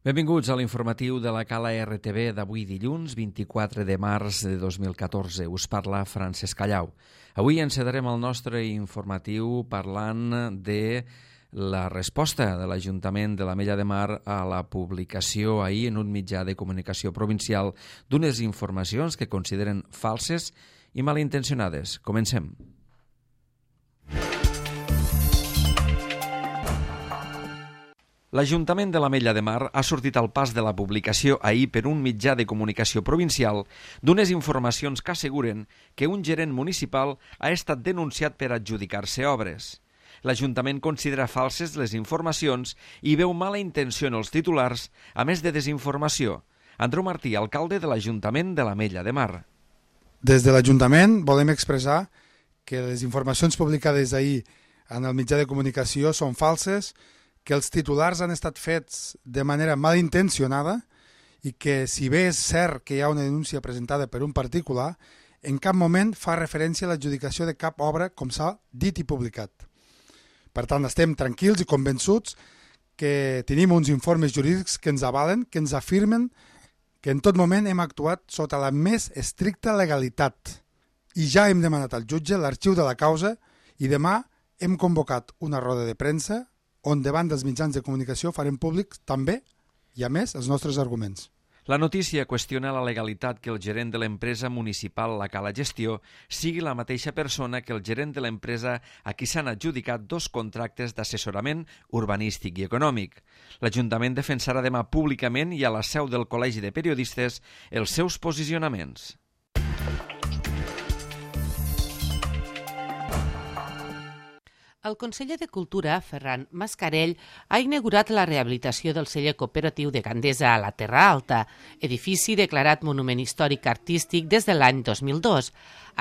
Benvinguts a l'informatiu de la Cala RTV d'avui dilluns, 24 de març de 2014. Us parla Francesc Callau. Avui encetarem el nostre informatiu parlant de la resposta de l'Ajuntament de l'Ametlla de Mar a la publicació ahir en un mitjà de comunicació provincial d'unes informacions que consideren falses i malintencionades. Comencem. L'Ajuntament de l'Ametlla de Mar ha sortit al pas de la publicació ahir per un mitjà de comunicació provincial d'unes informacions que asseguren que un gerent municipal ha estat denunciat per adjudicar-se obres. L'Ajuntament considera falses les informacions i veu mala intenció en els titulars, a més de desinformació. Andreu Martí, alcalde de l'Ajuntament de l'Ametlla de Mar. Des de l'Ajuntament volem expressar que les informacions publicades ahir en el mitjà de comunicació són falses, que els titulars han estat fets de manera malintencionada i que, si bé és cert que hi ha una denúncia presentada per un particular, en cap moment fa referència a l'adjudicació de cap obra, com s'ha dit i publicat. Per tant, estem tranquils i convençuts que tenim uns informes jurídics que ens avalen, que ens afirmen que en tot moment hem actuat sota la més estricta legalitat. I ja hem demanat al jutge l'arxiu de la causa i demà hem convocat una roda de premsa on davant dels mitjans de comunicació farem públics també, i a més, els nostres arguments. La notícia qüestiona la legalitat que el gerent de l'empresa municipal La Cala Gestió sigui la mateixa persona que el gerent de l'empresa a qui s'han adjudicat 2 contractes d'assessorament urbanístic i econòmic. L'Ajuntament defensarà demà públicament i a la seu del Col·legi de Periodistes els seus posicionaments. El conseller de Cultura, Ferran Mascarell, ha inaugurat la rehabilitació del celler cooperatiu de Gandesa a la Terra Alta, edifici declarat Monument Històric Artístic des de l'any 2002.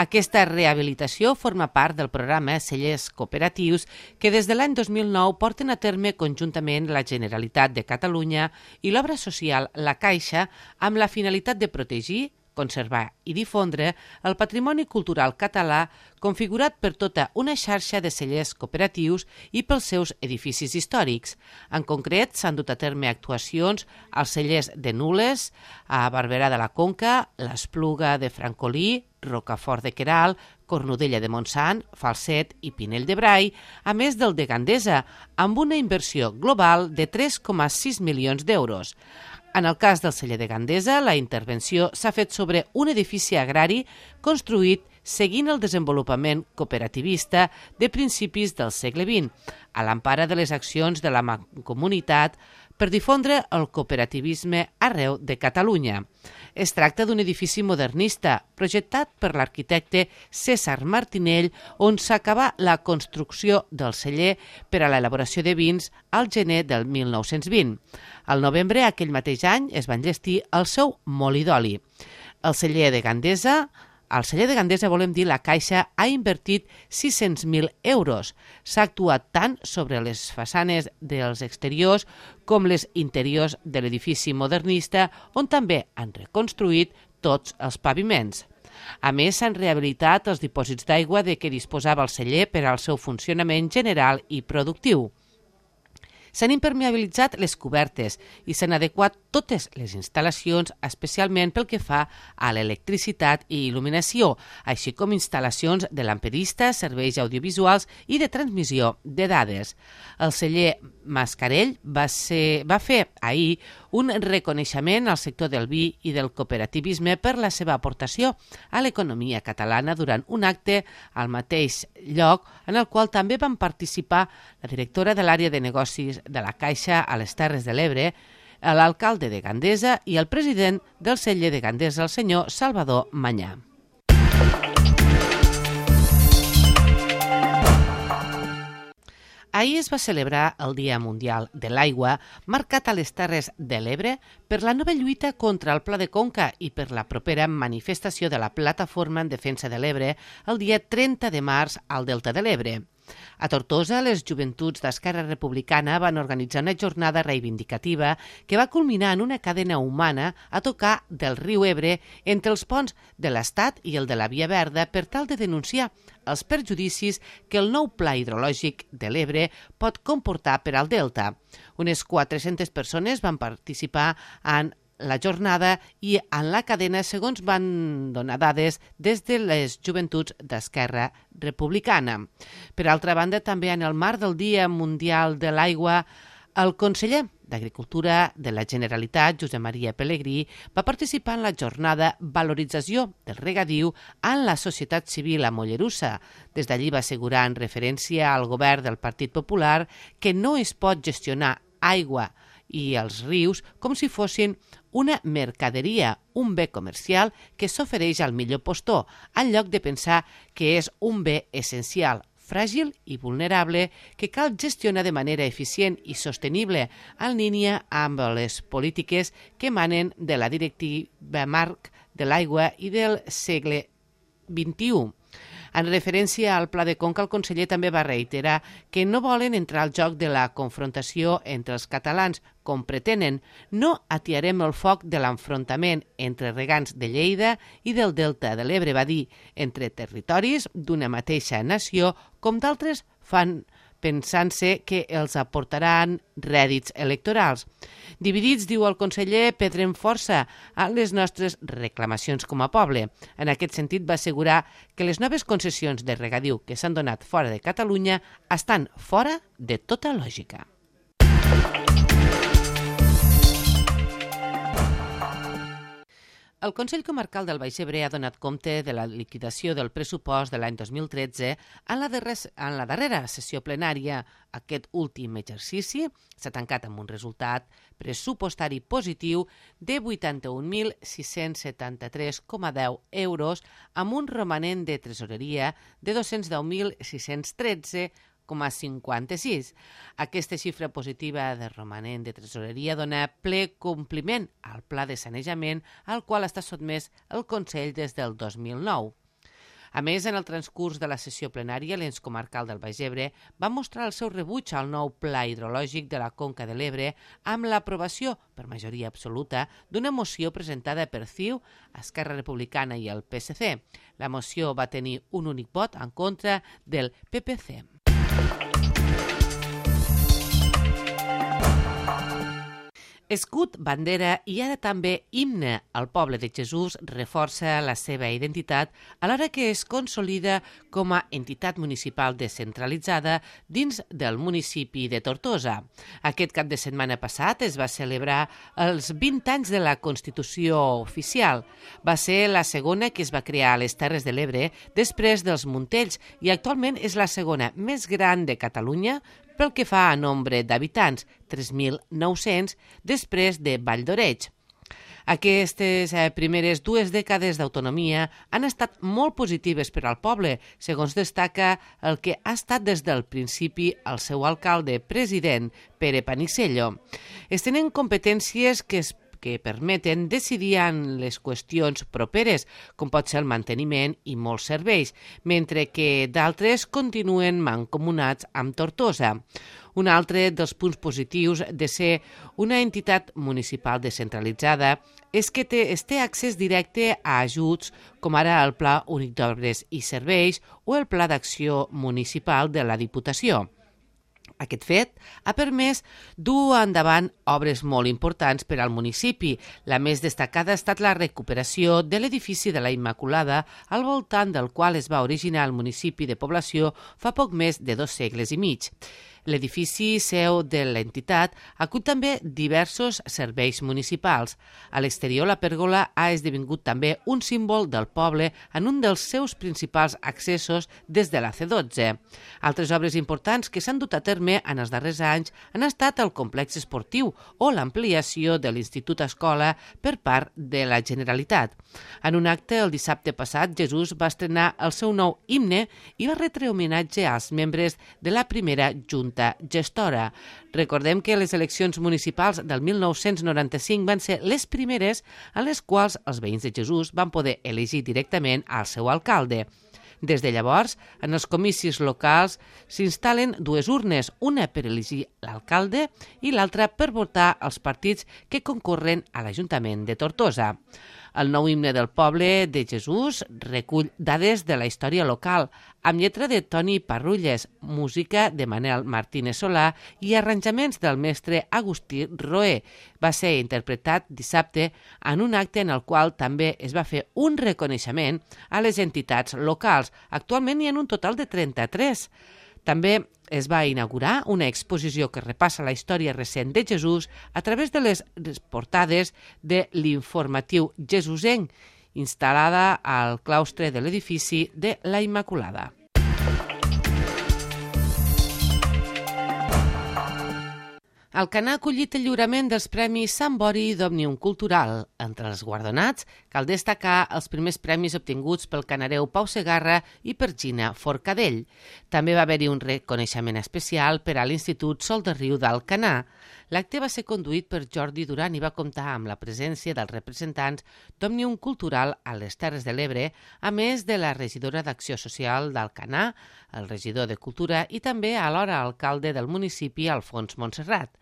Aquesta rehabilitació forma part del programa Cellers Cooperatius que des de l'any 2009 porten a terme conjuntament la Generalitat de Catalunya i l'obra social La Caixa amb la finalitat de protegir, conservar i difondre el patrimoni cultural català configurat per tota una xarxa de cellers cooperatius i pels seus edificis històrics. En concret, s'han dut a terme actuacions als cellers de Nules, a Barberà de la Conca, l'Espluga de Francolí, Rocafort de Queralt, Cornudella de Montsant, Falset i Pinell de Brai, a més del de Gandesa, amb una inversió global de 3,6 milions d'euros. En el cas del celler de Gandesa, la intervenció s'ha fet sobre un edifici agrari construït seguint el desenvolupament cooperativista de principis del segle XX, a l'empara de les accions de la Mancomunitat per difondre el cooperativisme arreu de Catalunya. Es tracta d'un edifici modernista, projectat per l'arquitecte César Martinell, on s'acabà la construcció del celler per a l'elaboració de vins al gener del 1920. Al novembre aquell mateix any es va enllestir el seu molí d'oli. Al celler de Gandesa, volem dir, la Caixa ha invertit 600.000 euros. S'ha actuat tant sobre les façanes dels exteriors com les interiors de l'edifici modernista, on també han reconstruït tots els paviments. A més, s'han rehabilitat els dipòsits d'aigua de què disposava el celler per al seu funcionament general i productiu. S'han impermeabilitzat les cobertes i s'han adequat totes les instal·lacions, especialment pel que fa a l'electricitat i il·luminació, així com instal·lacions de lamperista, serveis audiovisuals i de transmissió de dades. El celler Mascarell va fer ahir un reconeixement al sector del vi i del cooperativisme per la seva aportació a l'economia catalana durant un acte al mateix lloc en el qual també van participar la directora de l'àrea de negocis de la Caixa a les Terres de l'Ebre, l'alcalde de Gandesa i el president del celler de Gandesa, el senyor Salvador Manyà. Ahir es va celebrar el Dia Mundial de l'Aigua, marcat a les Terres de l'Ebre per la nova lluita contra el Pla de Conca i per la propera manifestació de la Plataforma en Defensa de l'Ebre el dia 30 de març al Delta de l'Ebre. A Tortosa, les joventuts d'Esquerra Republicana van organitzar una jornada reivindicativa que va culminar en una cadena humana a tocar del riu Ebre entre els ponts de l'Estat i el de la Via Verda per tal de denunciar els perjudicis que el nou pla hidrològic de l'Ebre pot comportar per al delta. Unes 400 persones van participar en la jornada i en la cadena, segons van donar dades des de les joventuts d'Esquerra Republicana. Per altra banda, també en el marc del Dia Mundial de l'Aigua, el conseller d'Agricultura de la Generalitat, Josep Maria Pelegrí, va participar en la jornada Valorització del regadiu en la societat civil a Mollerussa. Des d'allí va assegurar, en referència al govern del Partit Popular, que no es pot gestionar aigua i els rius com si fossin una mercaderia, un bé comercial que s'ofereix al millor postor, en lloc de pensar que és un bé essencial, fràgil i vulnerable que cal gestionar de manera eficient i sostenible en línia amb les polítiques que emanen de la Directiva Marc de l'Aigua i del segle XXI. En referència al Pla de Conca, el conseller també va reiterar que no volen entrar al joc de la confrontació entre els catalans, com pretenen. No atiarem el foc de l'enfrontament entre regants de Lleida i del Delta de l'Ebre, va dir, entre territoris d'una mateixa nació, com d'altres fan pensant-se que els aportaran rèdits electorals. Dividits, diu el conseller, perdrem força en les nostres reclamacions com a poble. En aquest sentit, va assegurar que les noves concessions de regadiu que s'han donat fora de Catalunya estan fora de tota lògica. El Consell Comarcal del Baix Ebre ha donat compte de la liquidació del pressupost de l'any 2013 en la darrera sessió plenària. Aquest últim exercici s'ha tancat amb un resultat pressupostari positiu de 81.673,10 euros amb un romanent de tresoreria de 210.613,56. Aquesta xifra positiva de romanent de tresoreria dona ple compliment al pla de sanejament al qual està sotmès el Consell des del 2009. A més, en el transcurs de la sessió plenària, l'ens comarcal del Baix Ebre va mostrar el seu rebuig al nou pla hidrològic de la Conca de l'Ebre amb l'aprovació, per majoria absoluta, d'una moció presentada per CiU, Esquerra Republicana i el PSC. La moció va tenir un únic vot en contra del PPC. Escut, bandera i ara també himne al poble de Jesús reforça la seva identitat alhora que es consolida com a entitat municipal descentralitzada dins del municipi de Tortosa. Aquest cap de setmana passat es va celebrar els 20 anys de la Constitució oficial. Va ser la segona que es va crear a les Terres de l'Ebre després dels Montells i actualment és la segona més gran de Catalunya pel que fa a nombre d'habitants, 3.900, després de Vall d'Oreig. Aquestes primeres 2 dècades d'autonomia han estat molt positives per al poble, segons destaca el que ha estat des del principi el seu alcalde president, Pere Panisello. Es tenen competències que permeten decidir en les qüestions properes, com pot ser el manteniment i molts serveis, mentre que d'altres continuen mancomunats amb Tortosa. Un altre dels punts positius de ser una entitat municipal descentralitzada és que es té accés directe a ajuts com ara el Pla Únic d'Obres i Serveis o el Pla d'Acció Municipal de la Diputació. Aquest fet ha permès dur endavant obres molt importants per al municipi. La més destacada ha estat la recuperació de l'edifici de la Immaculada, al voltant del qual es va originar el municipi de població fa poc més de 2 segles i mig. L'edifici seu de l'entitat acull també diversos serveis municipals. A l'exterior, la pèrgola ha esdevingut també un símbol del poble en un dels seus principals accessos des de la C12. Altres obres importants que s'han dut a terme en els darrers anys han estat el complex esportiu o l'ampliació de l'Institut Escola per part de la Generalitat. En un acte el dissabte passat, Jesús va estrenar el seu nou himne i va retre homenatge als membres de la primera Junta gestora. Recordem que les eleccions municipals del 1995 van ser les primeres en les quals els veïns de Jesús van poder elegir directament al seu alcalde. Des de llavors, en els comicis locals s'instal·len dues urnes, una per elegir l'alcalde i l'altra per votar els partits que concorren a l'Ajuntament de Tortosa. El nou himne del poble de Jesús recull dades de la història local, amb lletra de Toni Parrulles, música de Manel Martínez Solà i arranjaments del mestre Agustí Roé. Va ser interpretat dissabte en un acte en el qual també es va fer un reconeixement a les entitats locals. Actualment hi ha un total de 33. També es va inaugurar una exposició que repassa la història recent de Jesús a través de les portades de l'informatiu jesusenc, instal·lada al claustre de l'edifici de la Immaculada. Alcanar ha acollit el lliurament dels Premis Sant Bori d'Òmnium Cultural. Entre els guardonats cal destacar els primers premis obtinguts pel canareu Pau Segarra i per Gina Forcadell. També va haver-hi un reconeixement especial per a l'Institut Sol de Riu d'Alcanar. L'acte va ser conduït per Jordi Duran i va comptar amb la presència dels representants d'Òmnium Cultural a les Terres de l'Ebre, a més de la regidora d'Acció Social d'Alcanar, el regidor de Cultura i també alhora alcalde del municipi, Alfons Montserrat.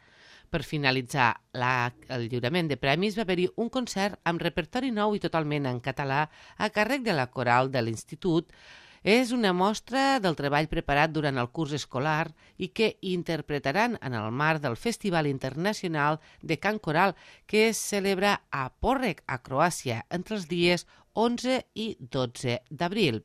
Per finalitzar el lliurament de premis va haver-hi un concert amb repertori nou i totalment en català a càrrec de la coral de l'Institut. És una mostra del treball preparat durant el curs escolar i que interpretaran en el marc del Festival Internacional de Cant Coral que es celebra a Porrek, a Croàcia, entre els dies 11 i 12 d'abril.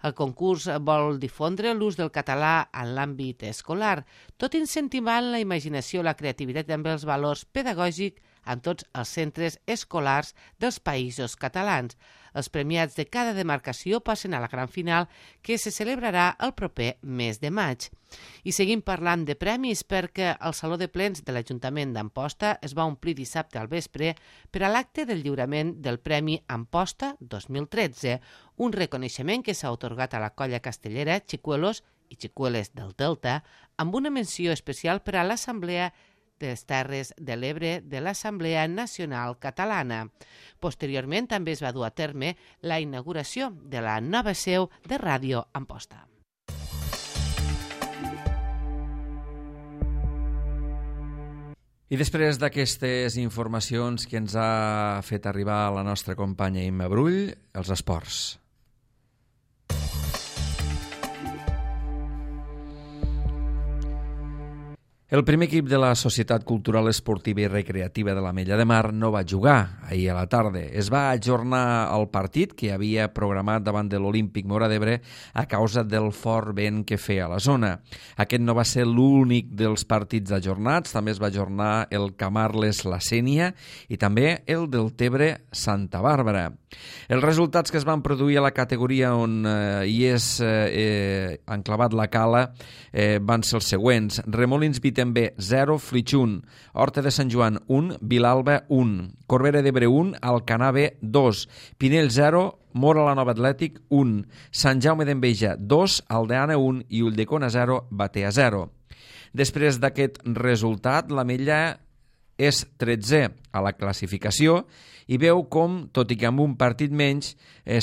El concurs vol difondre l'ús del català en l'àmbit escolar, tot incentivant la imaginació, la creativitat i també els valors pedagògics en tots els centres escolars dels països catalans. Els premiats de cada demarcació passen a la gran final que se celebrarà el proper mes de maig. I seguim parlant de premis perquè el Saló de Plens de l'Ajuntament d'Amposta es va omplir dissabte al vespre per a l'acte del lliurament del Premi Amposta 2013, un reconeixement que s'ha atorgat a la colla castellera Xicuelos i Xicueles del Delta amb una menció especial per a l'Assemblea de les Terres de l'Ebre de l'Assemblea Nacional Catalana. Posteriorment també es va dur a terme la inauguració de la nova seu de Ràdio Amposta. I després d'aquestes informacions que ens ha fet arribar la nostra companya Imma Brull, els esports. El primer equip de la Societat Cultural Esportiva i Recreativa de l'Ametlla de Mar no va jugar ahir a la tarda. Es va ajornar el partit que havia programat davant de l'Olímpic Móra d'Ebre a causa del fort vent que feia a la zona. Aquest no va ser l'únic dels partits ajornats, també es va ajornar el Camarles-La Sénia i també el del Tebre Santa Bàrbara. Els resultats que es van produir a la categoria on hi és enclavat la cala van ser els següents. Remolins Vitember 0, Flix 1, Horta de Sant Joan 1, Vilalba 1, Corbera d'Ebre 1, Alcanar B 2, Pinell 0, Mora la Nova Atlètic 1, Sant Jaume d'Enveja 2, Aldeana 1 i Ulldecona 0, Batea 0. Després d'aquest resultat, l'Ametlla és 13è a la classificació i veu com, tot i que amb un partit menys,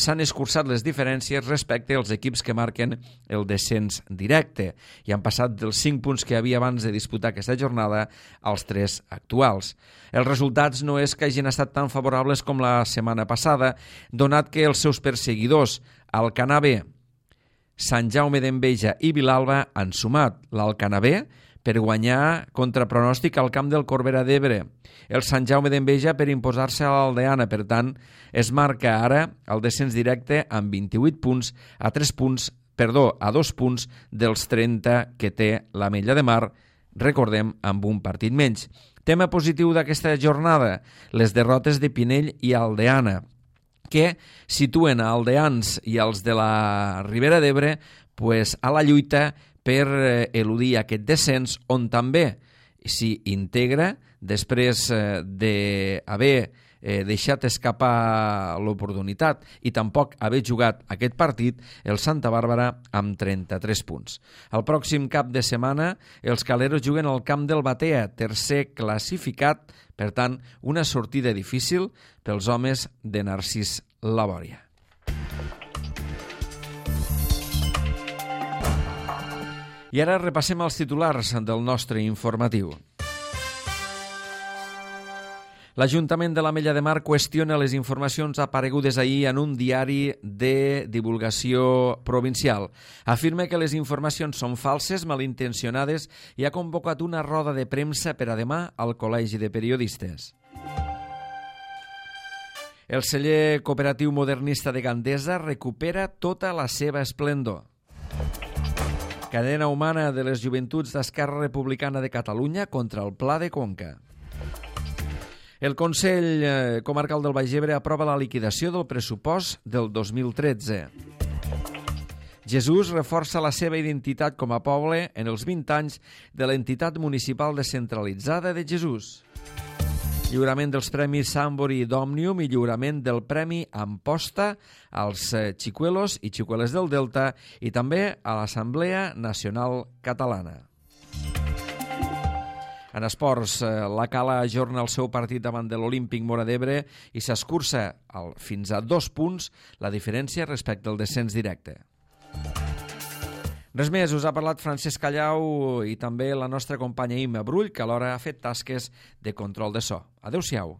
s'han escurçat les diferències respecte als equips que marquen el descens directe i han passat dels 5 punts que havia abans de disputar aquesta jornada als 3 actuals. Els resultats no és que hagin estat tan favorables com la setmana passada, donat que els seus perseguidors, Alcanar B, Sant Jaume d'Enveja i Vilalba, han sumat l'Alcanar B per guanyar contra pronòstic al camp del Corbera d'Ebre, el Sant Jaume d'Enveja per imposar-se a l'Aldeana. Per tant, es marca ara el descens directe amb 28 punts a 2 punts dels 30 que té l'Ametlla de Mar, recordem, amb un partit menys. Tema positiu d'aquesta jornada, les derrotes de Pinell i Aldeana, que situen a aldeans i als de la Ribera d'Ebre a la lluita per eludir aquest descens, on també s'hi integra, després d'haver deixat escapar l'oportunitat i tampoc haver jugat aquest partit, el Santa Bàrbara amb 33 punts. El pròxim cap de setmana els caleros juguen al camp del Batea, tercer classificat, per tant, una sortida difícil pels homes de Narcís Labòria. I ara repassem els titulars del nostre informatiu. L'Ajuntament de l'Ametlla de Mar qüestiona les informacions aparegudes ahir en un diari de divulgació provincial. Afirma que les informacions són falses, malintencionades i ha convocat una roda de premsa per a demà al Col·legi de Periodistes. El celler cooperatiu modernista de Gandesa recupera tota la seva esplendor. Cadena humana de les joventuts d'Esquerra Republicana de Catalunya contra el Pla de Conca. El Consell Comarcal del Baix Ebre aprova la liquidació del pressupost del 2013. Jesús reforça la seva identitat com a poble en els 20 anys de l'entitat municipal descentralitzada de Jesús. Lliurament dels premis Sambori i d'Òmnium i lliurament del Premi Amposta als xicuelos i xicueles del Delta i també a l'Assemblea Nacional Catalana. En esports, la Cala ajorna el seu partit davant de l'Olímpic Móra d'Ebre i s'escurça fins a 2 punts la diferència respecte al descens directe. Res més, us ha parlat Francesc Callau i també la nostra companya Imma Brull, que alhora ha fet tasques de control de so. Adéu-siau.